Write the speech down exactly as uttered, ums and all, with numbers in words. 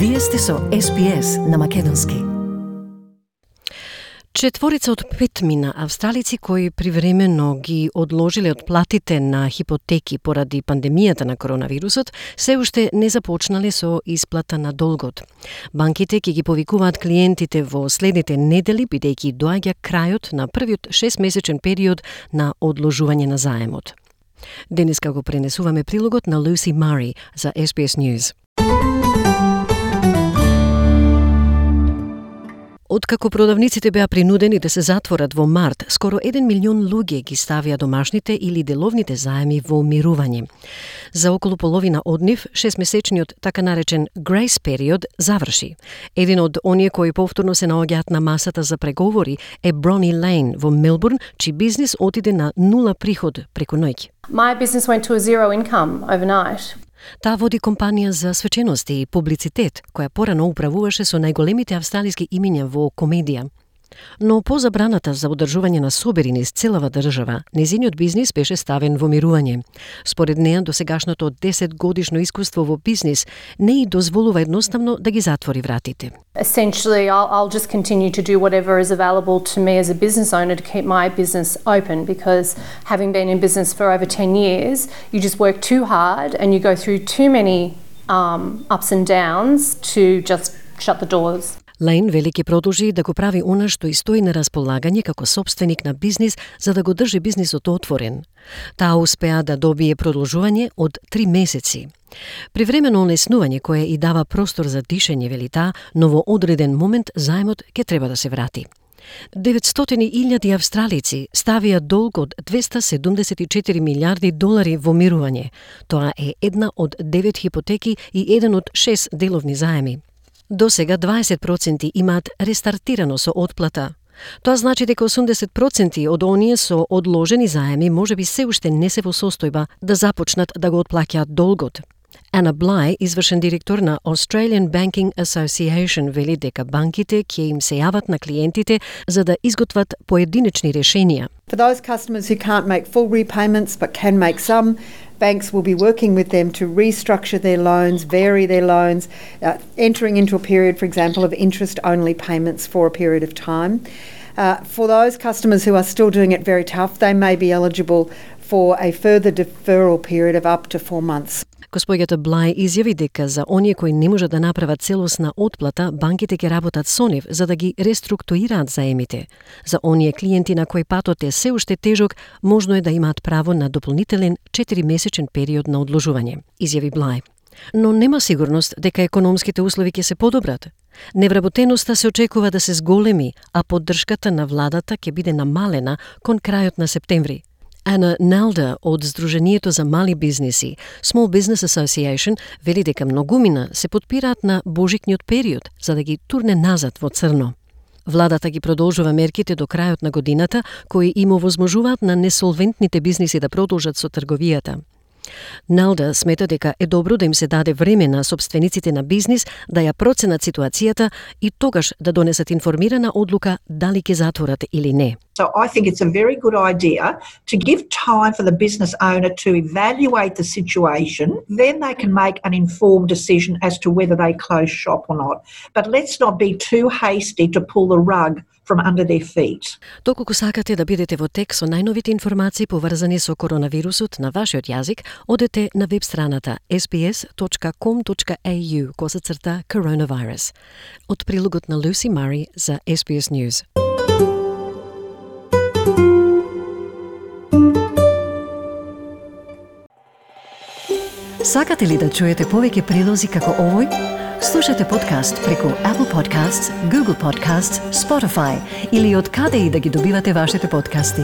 Вие сте со Ес Би Ес на македонски. Четворица од петмина австралици кои привремено ги одложиле од платите на хипотеки поради пандемијата на коронавирусот, се уште не започнале со исплата на долгот. Банките ќе ги повикуваат клиентите во следните недели, бидејќи доаѓа крајот на првиот шестмесечен период на одложување на заемот. Денеска го пренесуваме прилогот на Lucy Murray за Ес Би Ес News. Откако продавниците беа принудени да се затворат во март, скоро еден милион луѓе ги ставија домашните или деловните заеми во мирување. За околу половина од нив, шестмесечниот така наречен grace период заврши. Еден од оние кои повторно се наоѓаат на масата за преговори е Брони Лейн во Мелбурн, чиј бизнис отиде на нула приход преку ноќ. My business went to a zero income overnight. Таа води компанија за свечености и публицитет, која порано управуваше со најголемите австралиски имиња во комедија. Но по забраната за одржување на собери низ целава држава, незиниот бизнис беше ставен во мирување. Според неа, досегашното десет годишно искуство во бизнис не и дозволува едноставно да ги затвори вратите. Essentially, I'll, I'll just continue to do whatever is available to me as a business owner to keep my business open, because having been in business for over ten years, you just work too hard and you go through too many um, ups and downs to just shut the doors. Лейн вели ќе продолжи да го прави она што и стои на располагање како собственик на бизнис за да го држи бизнисот отворен. Таа успеа да добие продолжување од три месеци. Привремено олеснување кое и дава простор за дишење, вели таа, но во одреден момент заемот ќе треба да се врати. деветстотини илјади австралици ставија долг од двеста седумдесет и четири милиарди долари во мирување. Тоа е една од девет хипотеки и еден од шест деловни заеми. До сега дваесет проценти имаат рестартирано со отплата. Тоа значи дека осумдесет проценти од оние со одложени заеми можеби се уште не се во состојба да започнат да го отплаќаат долгот. Ана Блај, извршен директор на Australian Banking Association, вели дека банките ќе им се јават на клиентите за да изготват поединечни решенија. For those customers who can't make full repayments but can make some, banks will be working with them to restructure their loans, vary their loans, uh, entering into a period, for example, of interest-only payments for a period of time. Uh, for those customers who are still doing it very tough, they may be eligible for a further deferral period of up to four months. Госпоѓата Блај изјави дека за оние кои не можат да направат целосна отплата, банките ќе работат со нив за да ги реструктурираат заемите. За оние клиенти на кои патот е се уште тежок, можно е да имаат право на дополнителен четиримесечен период на одложување, изјави Блај. Но нема сигурност дека економските услови ќе се подобрат. Невработеноста се очекува да се зголеми, а поддршката на владата ќе биде намалена кон крајот на септември. Ана Нелда од Сдруженијето за мали бизниси, Small Business Association, вели дека многумина се потпираат на божикниот период за да ги турне назад во црно. Владата ги продолжува мерките до крајот на годината, кои им овозможуваат на несолвентните бизниси да продолжат со трговијата. Нелда смета дека е добро да им се даде време на собствениците на бизнис да ја проценат ситуацијата и тогаш да донесат информирана одлука дали ќе затворат или не. So I think it's a very good idea to give time for the business owner to evaluate the situation, then they can make an informed decision as to whether they close shop or not. But let's not be too hasty to pull the rug from under their feet. Доколку сакате да бидете во тек со најновите информации поврзани со коронавирусот на вашиот јазик, одете на веб страната ес би ес точка ком точка ей ю косацрта coronavirus. Од прилогот на Lucy Murray за Ес Би Ес News. Сакате ли да чуете повеќе прилози како овој? Слушате подкаст преку Apple Podcasts, Google Podcasts, Spotify или од каде и да ги добивате вашите подкасти.